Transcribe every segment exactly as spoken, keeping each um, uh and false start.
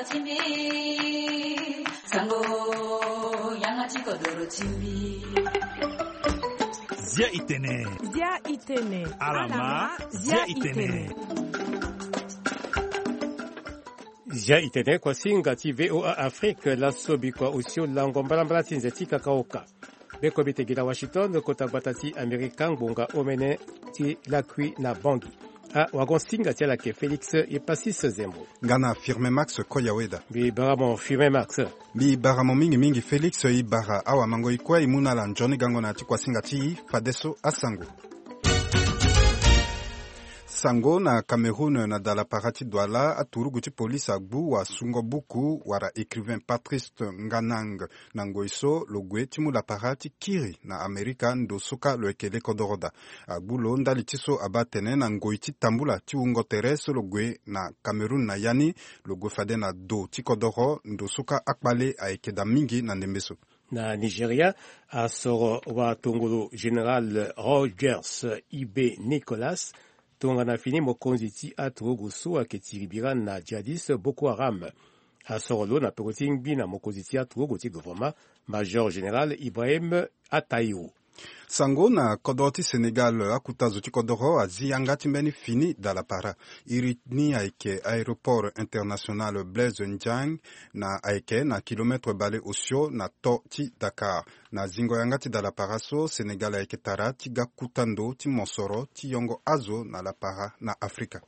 Zia itene. Zia itene. Alama. Zia itene. Zia itene kua singa ti V O A Afrique, laso bikua osio lango mbalambala ti nze ti kakaoka. Be ko bite gi na Washington, kota gbata ti Amerika, ngbonga omene ti lakui na Bangui. A wagon singa ti ala ke Félix Epasis Zembo. Nga na Firmin Max Koyaweda. Mbi bara mo Firmin Max. Mbi bara mo mingi mingi Félix, i bara awamango i kue i mu na ala nzoni gango na ya ti kuasinga ti i fadeso asango. Sango na Cameroun na dalapara ti Douala, aturugu ti polisi agbu wasungo buku wala écrivain Patrice Nganang na ngoi so lo gue ti mu lapara ti kiri na Amerika ndo so kâ lo yeke le kodoro daa. Agbu lo ndali ti so abaa atene na ngoi ti tambula ti wungo tere so lo gue na Cameroun na ya ni, lo gue fade na do ti kodoro ndo so kâ akpale ayeke daa mingi na ndembe so. Na Nigeria, asoro watongolo général Rogers Ibe Nicholas tongana fini mokonzi ti aturugu so ayeke tiri bira na djihadiste Boko Haram. Asoro lo na peko ti ngbi na mokonzi ti aturugu ti gouvernement, major général Ibrahim Atahiru. Sango na kodoro ti Sénégal, akuta zo ti kodoro azi yanga ti mbeni fini dalapara. Iri ni ayeke aéroport international Blaise Ndiaye, na ayeke na kilomètre bale osio na to ti Dakar. Na zingo yanga ti dalapara so, Sénégal ayeke tara ti ga kuta ndo ti mosoro ti yongo azo na lapara na Afrika.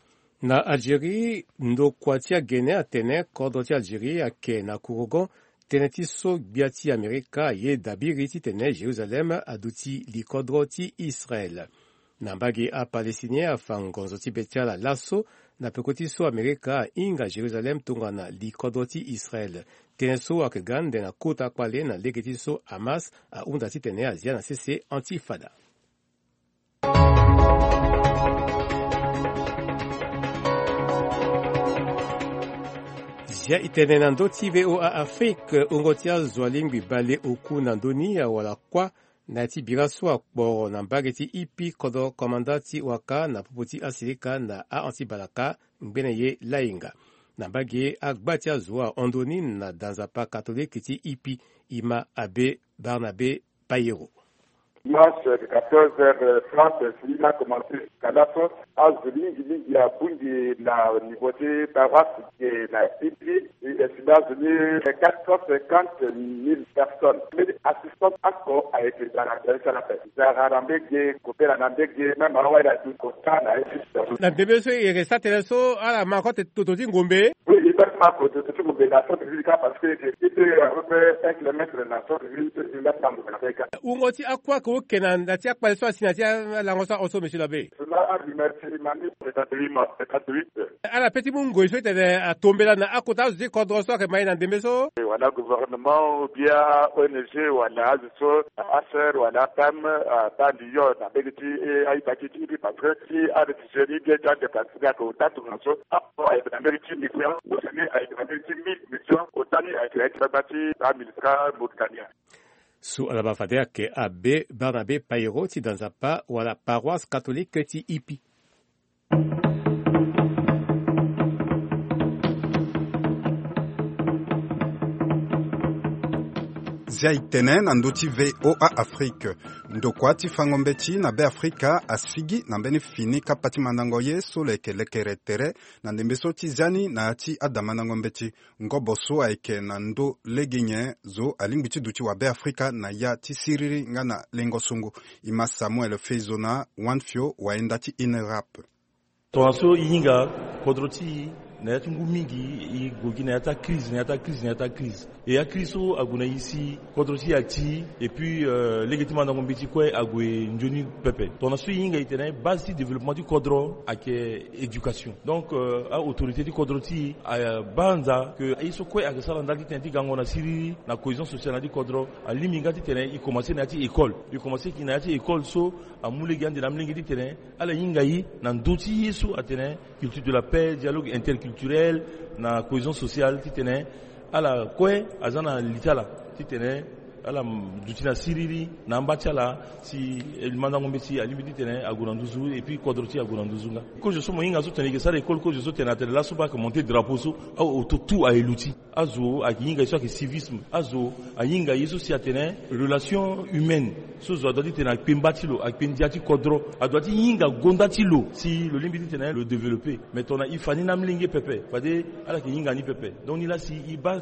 Na Algérie, ndokua ti agene atene kodro ti Algérie ayeke na kurugon tënë ti so gbia ti Amerika aye dabiri titene Jérusalem aduti likodro ti Israel. Na mbage, aPalestinien afa ngonzo ti be ti ala laso na peko ti so Amerika ahinga Jérusalem tongana likodro ti Israel. Tënë so ayeke ga ande na kota kpale na lege ti so Hamas ahunda titene azia na sese Antifada. Zia itene na ndö ti V O A Afrique, wungo ti azo alingbi bale oku na ndö ni awara kuâ na ya ti bira so akporo na mbage ti Ipi kodro komanda ti waka na popo ti asilika na a-anti-balaka ngbene ye lainga. Na mbage, agba ti azo ahon ndö ni na danzapa katolike ti Ipi, e ma abbé Barnabé Payero. Dimanche, quatorze heures, France, si la commencé jusqu'à la fin. Azo mingi mingi abungi na niveau ti paroisse ke na Ipi. E estimé azo ni quatre cent cinquante mille personnes. Mbeni assistance oko ayeke zara tene ti ala ape. Zara na mbege, kobela na mbege, même awa ila du kota na Égypte. Na ndembe so e yeke sara tënë so, ala ma kue toto ti ngombe. Oui, e baa ti ma kue toto ti ngombe na centre ville kâ, parce que e peut à peu près un kilomètre na centre ville, e baa ti ma ngombe na mbege kâ. Wungo ti akuâ ke oke na, na ti akpale so asi na ti alango so ahon so, monsieur l'abbé? Cela a remercié ma ni, c'est-à-dire ma, c'est-à-dire. Ala pe ti mu ngoi so ti tene atombela na akota azo ti kodro so ayeke ma e na ndembe so. Wala gouvernement ou bien O N G wala azo so, A S R wala P A M, abaa lion na mbege ti, eh, aita ti ti, parce que si aréfugié ni bien ti adéplacé ni ayeke ota tongana so, apo ayeke na mbege ti migrant, ou bien ayeke na mbege ti mille migrant, ota ni ayeke na ya ti gbagba ti aMINUSCA Mauritania. So ala baa fade ayeke abbé Barnabé Payero ti da nzapa wala paroisse catholique ti Ipi. Zia e tene na ndö ti V O A Afrique. Ndokua ti fango mbeti na Beafrika asigi na mbeni fini kapa ti mandango ye so lo yeke lekere tere na ndembe so ti zia ni na ya ti adamandango mbeti. Ngobo so ayeke na ndö lege nyen zo alingbi ti duti wa Beafrika na ya ti siriri nga na lengo songo. E ma Samuel Feizona Wanfio, wayenda ti INRAP. Tongaso e hinga kodro ti e na ya ti ngu mingi, e gue gi na ya ti akrize, na ya ti akrize, na ya ti akrize. E akrize so ague na e si kodro ti e ati, et puis, euh, lege ti mandango mbeti kue ague nzoni pepe. Tongaso e hinga e tene base ti développement ti kodro ayeke éducation. Donc, euh, a-autorité ti kodro ti e, euh, abaa nza ke aye so kue ayeke sara ndali ti tene ti gango na siriri na cohésion sociale na ya ti kodro. Alingbi nga ti tene e commencé na ya ti école. E commencé gi na ya ti école so amu lege ande na amolenge ti tene ala hinga e na ndö ti ye so atene culture de la paix, dialogue interculturel, na cohésion sociale, ti tene ala kue aza na li ti ala ti tene Ala duti na siriri na amba ti ala si mandango mbeti alingbi titene ague na nduzu et puis kodro ti e ague na nduzu nga. Kozo so mo hinga so tene e ke sara école, kozo so tene atene laso baa ayeke monter drapeau so, aoto tout aye luti. Azo ayeke hinga ye so ayeke civisme. Azo ahinga ye so si atene relation humaine. So zo adoit titene akpe mba ti lo, akpe ndia ti kodro. Adoit ti hinga gonda ti lo si lo lingbi titene lo développer. Mais tongana e fa ni na amolenge pepe, fade ala yeke hinga ni pepe. Donc ni laa si e baa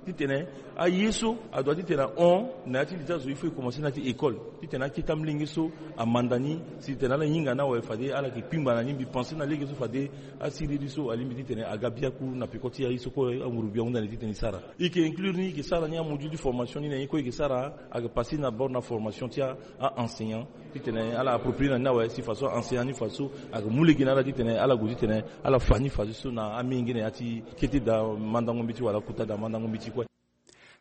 titene aye so adoit titene ahon na ya ti li ti azo, il faut e commencer na ya ti école titene akete amolenge so amanda ni si titene ala hinga ni awe, fade ala yeke kpingba na ni. Mbi pense na lege so fade asiriri so alingbi titene aga biaku na peko ti aye so kue anguru gbia ahunda na e titene e sara. E yeke inclure ni, e yeke sara ni amodule ti formation ni na ye kue e yeke sara. Ayeke passer na bord na formation ti a-enseignant titene ala approprier na ni awe si faso a-enseignant ni faso ayeke mu lege na ala titene ala gue titene ala fa ni fadeso na amenge na ya ti kete daa mandango mbeti wala kota daa mandango mbeti kue.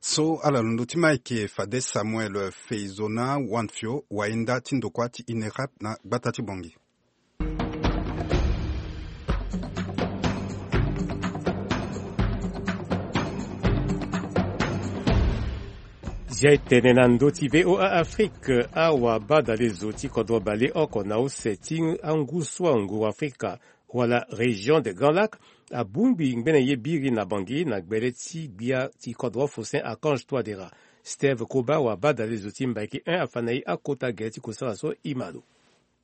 So ala londo ti ma ayeke fade Samuel Feizona Wanfio, wayenda ti ndokua ti INERAP na gbata ti Bangui. Zia e tene na ndö ti V O A Afrique, awabadalezo ti kodro baleoko na use ti angu so anguru Afrika wala Région des Grands Lacs abongbi ngbene ye biri na Bangui na gbele ti gbia ti kodro Faustin Archange Touadéra. Steve Koba, wabadalezo ti Mbaiki un, afa na e akota gere ti kusala so e ma lo.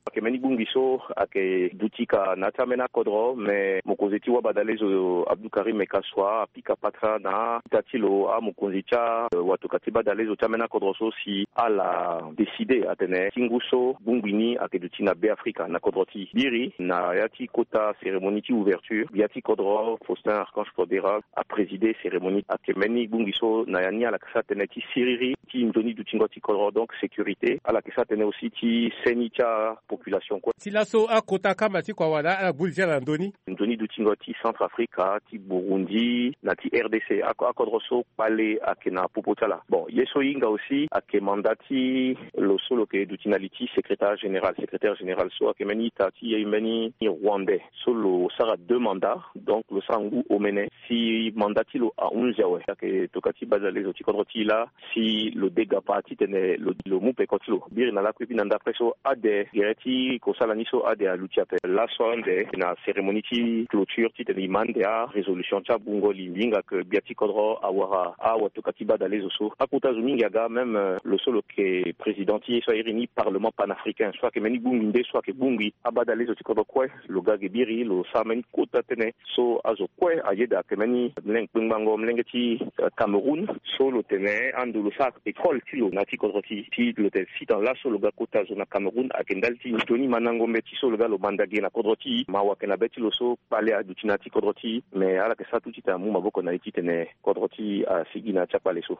Ayeke mbeni bongbi so ayeke duti ka na ya ti ambeni akodro, me mokonzi ti wabadalezo Abdou Karim Kassoua apika patara na ita ti lo amokonzi ti a, eh, watoka ti badalezo ti ambeni akodro so si ala décider atene ti ngu so bongbi ni ayeke duti na Be Afrika na kodro ti biri. Na ya ti kota cérémonie ti ouverture, gbia ti kodro Faustin Archange Touadéra aprésider cérémonie. Ayeke mbeni bongbi so na ya ni ala yeke sara tënë ti siriri ti nzoni dutingo ti kodro, donc sécurité. Ala yeke sara tënë aussi ti seni ti apopulation kue. Ti laso akota kamba ti kua wala ala gbu li ti ala na ndö ni? Nzoni dutingo ti Centrafrique, ti Burundi na ti R D C, ako-, akodro so kpale ayeke na popo ti ala. Bon, ye so e hinga aussi ayeke mandat ti lo so lo yeke duti na li ti secrétaire général. Secrétaire général so ayeke mbeni ita ti mbeni Rwandais so lo sara deux mandats, donc lo sara ngu omene. Si mandat ti lo ahunzi awe, ayeke tokua ti badalezo ti kodro ti e laa si lo dega pa titene lo, lo mu peko ti lo. Biri na lakue, e bi na ndapre so ade gere ti kosala ni so ade aluti ape. Laso ande na cérémonie ti clôture titene e ma ande arésolution ti abungo lingbi hinga ke gbia ti kodro awara awatokua ti badalezo so. Akota zo mingi aga, même, euh, lo so lo yeke président ti ye so a iri ni Parlement panafricain so ayeke mbeni bongbi nde so ayeke bongbi abadalezo ti kodro kue. Lo ga ge biri, lo sara mbeni kota tënë so azo kue ayeda, ayeke mbeni mlenge kpengbango mlenge ti, eh, Cameroun so lo tene ando lo sara école ti lo na ya ti kodro ti e. Ti lo tene sita laso lo ga kota zo na Cameroun ayeke ndali ti nzoni mandango mbeti so lo ga lo manda ge na kodro ti e. Mawa ayeke na be ti lo so kpale aduti na ya ti kodro ti e, me ala yeke sara tout titene amu maboko na e titene kodro ti e asigi na ya ti akpale so.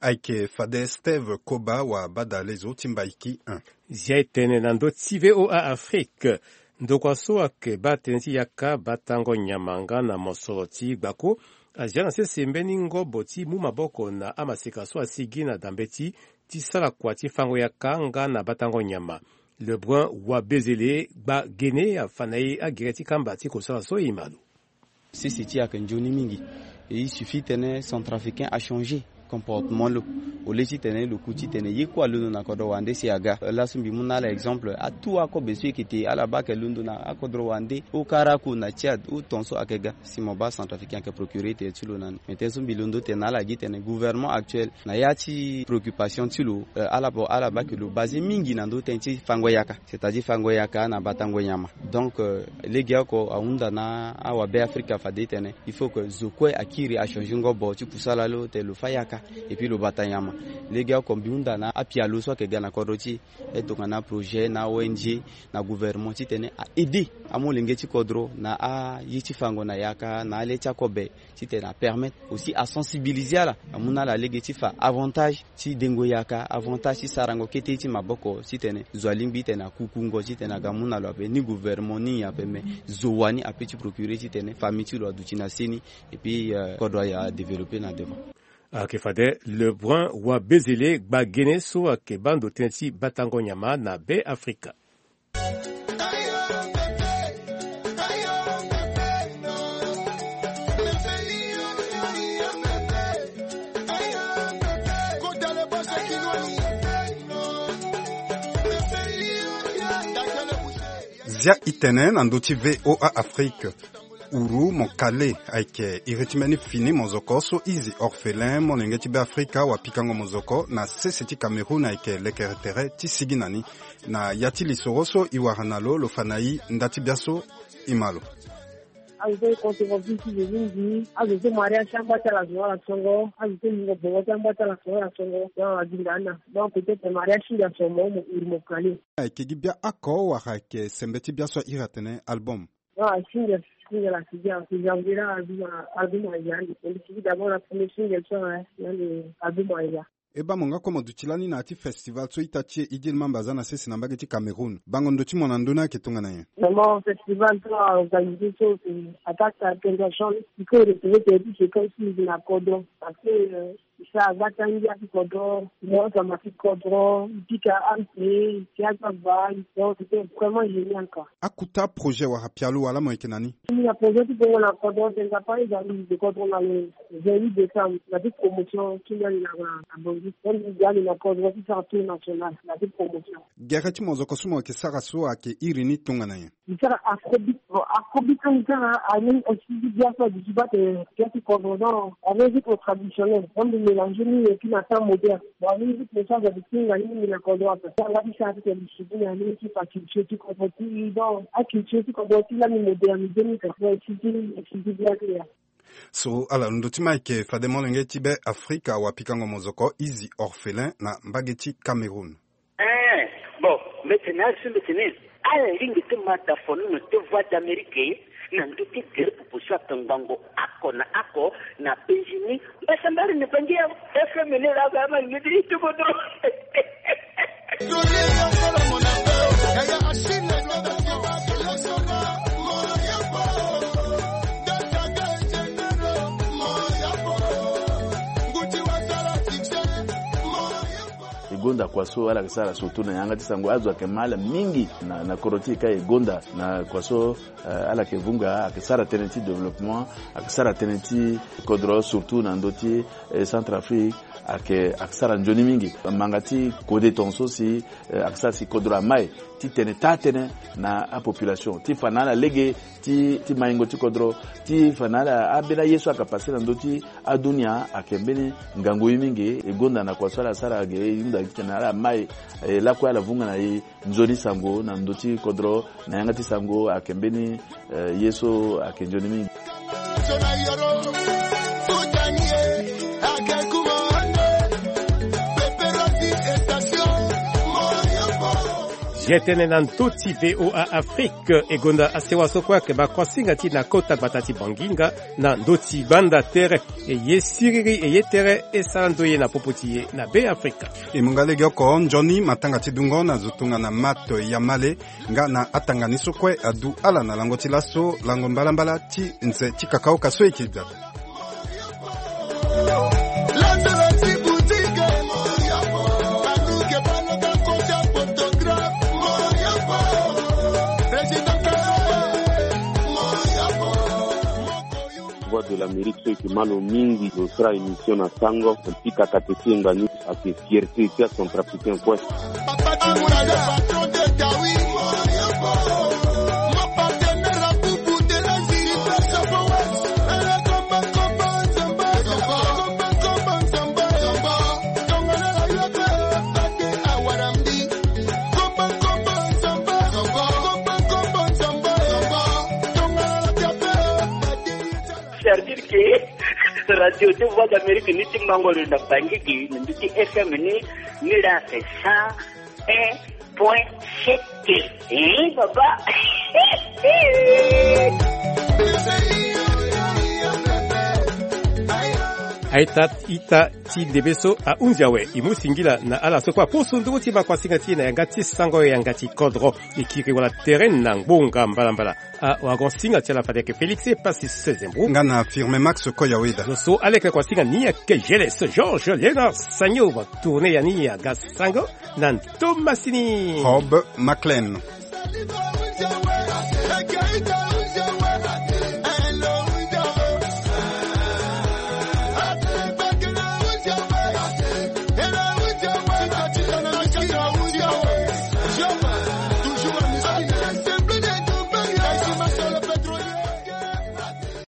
Ayeke fade Steve Koba, wabadalezo ti Mbaiki un. Zia e tene na ndö ti V O A Afrique. Ndokua so ayeke baa tënë ti yaka, batango nyama nga na mosoro ti gbako azia na sese mbeni ngobo ti mu maboko na amaseka so asigi na dambe ti, ti sara kua ti fango yaka nga na batango nyama. Lebrun Wabezele Gbagene afa na e agere ti kamba ti kosala so e ma lo. Sese ti e ayeke nzoni mingi. Et il suffit titene centrafricain achanger comportement lo. Au lieu titene lo ku titene ye kue alondo na kodro wande si aga. Laso mbi mu na ala exemple, atout akobe so e yeke te, ala baa ayeke londo na akodro wande, o Karako na Tchad, o ton so ayeke ga. Si mo baa centrafricain ayeke procurer tere ti lo na ni. Mais tënë so mbi londo tene na ala gi tene gouvernement actuel na ya ti préoccupation ti lo, euh, ala bo, ala baa ayeke lo basé mingi na ndö tënë ti fango yaka. C'est-à-dire fango yaka na batango nyama. Donc, euh, legeoko ahunda na awabe Afrika fade tene il faut que zo kue akiri achanger ngobo ti kusala lo tene lo fa yaka et puis lo bata nyama. Legeoko mbi hunda na apialo so ayeke ga na kodro ti e, tongana projet na O N G na gouvernement titene a aider amolenge ti kodro na aye ti fango na yaka na ale ti akobe. Titene apermettre aussi asensibiliser ala, amu na ala lege ti fa avantage ti dengo yaka, avantage ti sarango kete ye ti maboko, titene zo alingbi titene akukungo titene aga mu na lo ape, ni gouvernement ni nyen ape, me zo wani ape ti procurer titene famille ti lo aduti na seni, et puis, euh, kodro a développer na devant. Ayeke fade Lebrun Wabezele Gbagene so ayeke baa ndo tënë ti batango nyama na Be Afrika. Dia itene na ndö ti VOA Afrique. Uru mo kale ayeke iri ti mbeni fini mozoko so izi orphelin molenge ti Beafrika wa pikango mozoko na sese ti Cameroun ayeke lekere tere ti sigi na ni. Na ya ti lisoro so e wara na lo, lo fa na e nda ti biaso. E ma lo. Azo so e conservative ti zo mingi, azo so mariage ti amba ti ala zo ala songo, azo so lingo bongo ti amba ti ala zo ala songo, donc aginda ana. Donc peut-être mariage ti ndia so mo mo iri mo kale. Ayeke gi bia oko wala ayeke sembe ti biaso a iri atene album? Non, single, single asi gi, asi gi, asi gi, asi gi, asi gi, asi gi, asi gi, d'abord la première single so, hein, na le album aya. E baa mo nga kue mo duti lani na ya ti festival so ita ti e Idil Mamba aza na sese na mbage ti Cameroun. Bango ndo ti mo na ndö ni ayeke tongana nyen? Vraiment, festival so a organisé so, c'est attaque à attention. Il faut retrouver tes petits séquences sur la cordon. Parce que, euh, ça, va t'en dire, cordon, moi, ça m'a fait cordon, pique à un pied, c'est à ta balle. Donc, c'était vraiment génial, quoi. Akuta projet wala pialo wala mo yeke na ni? Ni na projet ti bongo na cordon, c'est pas les amis de cordon, na le vingt-huit décembre, na ti promotion ti ndali na, na Bangui. Donc, ni ndali na cordon ti sara tour national, na ti promotion. Gere ti mozoko so mo yeke sara so ayeke iri ni tongana nyen? Ni sara afrobeat. Bon, afrobeat so ni sara, ani aussi ti bia so aduti baa te, bia ti cordon, donc, avec rythme traditionnel. Donc, ni mélanger ni et puis na temps moderne. Bon, ani rythme so aza ti singa ni, ni na cordon ape. Anga ti sara ti tene discipline, ani ti fa culture ti cordon ti, donc, a culture ti cordon ti lani moderniser ni ka. Bon, et puis, et puis, bien clair. So ala londo ti ma ayeke fade molenge ti Beafrika wa pikango mozoko izi orphelin na mbage ti Cameroun. Eh, bon, mbeti na asu mbeti ni. Ala lingbi ti ma da fono na te Voix d'Amérique na ndö ti gere popo so atongbango oko na oko na penzi ni. Mbasambari ni pangi ya F M ni la ga ma ngidi ti bodo. E gonda kua so ala yeke sara surtout na yanga ti sango, azo ayeke ma ala mingi na, na kodro ti e ka e gonda na kua so, eh, ala yeke vunga, ayeke sara tënë ti développement, ayeke sara tënë ti kodro surtout na ndö ti, eh, Centrafrique, ayeke, ayeke sara nzoni mingi. Manga ti kode tongaso si, eh, ayeke sara si kodro amai ti tene taa tënë na apopulation ti fa na ala lege ti, ti maingo ti kodro, ti fa na ala ambeni aye so ayeke passe na ndö ti adunia ayeke mbeni ngangu ye mingi. E gonda na kua so ala sara ge, e hunda titene ala mai, e lakue ala vunga na e nzoni sango na ndö ti kodro, na yanga ti sango ayeke mbeni, eh, ye so ayeke nzoni mingi. Ye tënë na ndö ti VOA Afrique, e gonda asewa so kue ayeke baa kuasinga ti e na kota gbata ti Banginga na ndö ti banda tere. E ye siriri, e ye tere, e sara ndoye na popo ti e na Beafrika. E mu nga legeoko nzoni matanga ti dungo na zo tongana Mato Yamale nga na atanga ni so kue adu ala na lango ti laso, lango mbalambala ti nze ti kakaoka so e yeke gbata. Voix de l'Amérique, so e yeke ma lo mingi, lo sara émission na sango, mbi pika kate ti e nga ni, ayeke fierté ti acentrafricain kue. C'est-à-dire que radio ti Voix d'Amérique ni ti mango lo na Bangui gi na ndö ti F M ni, ni la c'est cent un point sept. Eh, papa. Aita ita ti ndembe so ahunzi awe, e mu singila na ala so kue apusu nduru ti ma kuasinga ti e na yanga ti sango, yanga ti kodro. E kiri wala tere na ngbonga mbalambala. Awagon-singa ti ala fade ayeke Félix Epassi Sezembro nga na Firme Max Koyaweda. Zo so ala yeke kuasinga ni ayeke Geles Georges Léonard Sagno, va tourner ya ni aga sango na ntomasini. Rob Maclean.